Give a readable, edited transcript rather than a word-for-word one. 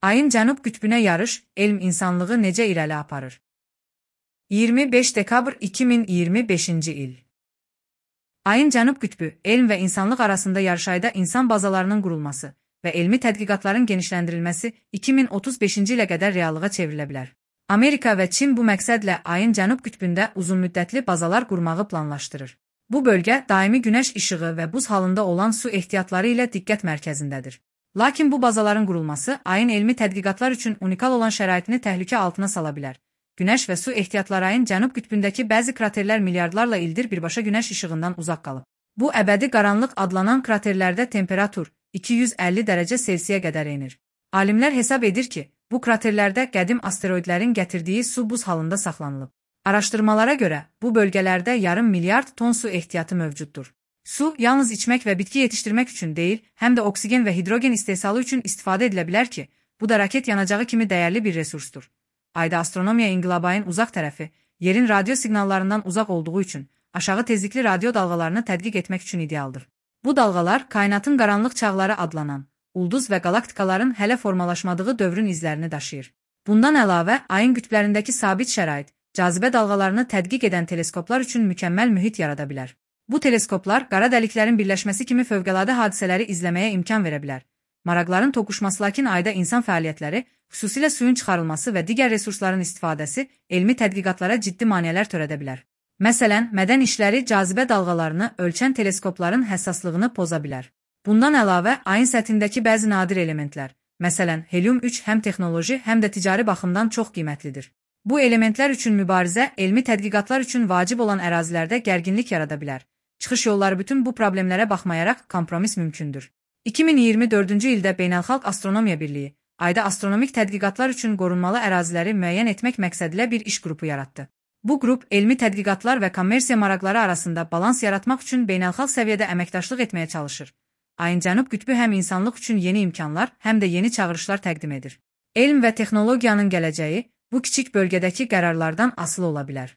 Ayın cənub qütbünə yarış, elm insanlığı necə irəli aparır? 25 dekabr 2025-ci il. Ayın cənub qütbü, elm və insanlıq arasında yarışayda insan bazalarının qurulması və elmi tədqiqatların genişləndirilməsi 2035-ci ilə qədər reallığa çevrilə bilər. Amerika və Çin bu məqsədlə ayın cənub qütbündə uzunmüddətli bazalar qurmağı planlaşdırır. Bu bölgə daimi günəş işığı və buz halında olan su ehtiyatları ilə diqqət mərkəzindədir. Lakin bu bazaların qurulması ayın elmi tədqiqatlar üçün unikal olan şəraitini təhlükə altına sala bilər. Günəş və su ehtiyatları ayın cənub qütbündəki bəzi kraterlər milyardlarla ildir birbaşa günəş işığından uzaq qalıb. Bu əbədi qaranlıq adlanan kraterlərdə temperatur 250 dərəcə Selsiyə qədər enir. Alimlər hesab edir ki, bu kraterlərdə qədim asteroidlərin gətirdiyi su buz halında saxlanılıb. Araşdırmalara görə bu bölgələrdə yarım milyard ton su ehtiyatı mövcuddur. Su yalnız içmək və bitki yetişdirmək üçün deyil, həm də oksigen və hidrogen istehsalı üçün istifadə edilə bilər ki, bu da raket yanacağı kimi dəyərli bir resursdur. Ayda astronomiya inqilabı ayın uzaq tərəfi, yerin radio siqnallarından uzaq olduğu üçün aşağı tezlikli radio dalğalarını tədqiq etmək üçün idealdır. Bu dalğalar kainatın qaranlıq çağları adlanan, ulduz və qalaktikaların hələ formalaşmadığı dövrün izlərini daşıyır. Bundan əlavə, ayın qütblərindəki sabit şərait, cazibə dalğalarını tədqiq edən teleskoplar üçün mükəmməl mühit yarada bilər. Bu teleskoplar qara dəliklərin birləşməsi kimi fövqəladə hadisələri izləməyə imkan verə bilər. Maraqların toqquşması, lakin ayda insan fəaliyyətləri, xüsusilə suyun çıxarılması və digər resursların istifadəsi elmi tədqiqatlara ciddi maneələr törədə bilər. Məsələn, mədən işləri cazibə dalğalarını ölçən teleskopların həssaslığını poza bilər. Bundan əlavə, ayın səthindəki bəzi nadir elementlər, məsələn, helium-3 həm texnoloji, həm də ticari baxımdan çox qiymətlidir. Bu elementlər üçün mübarizə elmi tədqiqatlar üçün vacib olan ərazilərdə gərginlik yarada bilər. Çıxış yolları bütün bu problemlərə baxmayaraq kompromis mümkündür. 2024-cü ildə Beynəlxalq Astronomiya Birliyi, ayda astronomik tədqiqatlar üçün qorunmalı əraziləri müəyyən etmək məqsədilə bir iş qrupu yaratdı. Bu qrup, elmi tədqiqatlar və kommersiya maraqları arasında balans yaratmaq üçün beynəlxalq səviyyədə əməkdaşlıq etməyə çalışır. Ayın cənub qütbü həm insanlıq üçün yeni imkanlar, həm də yeni çağırışlar təqdim edir. Elm və texnologiyanın gələcəyi bu kiçik bölgədəki qərarlardan asılı ola bilər.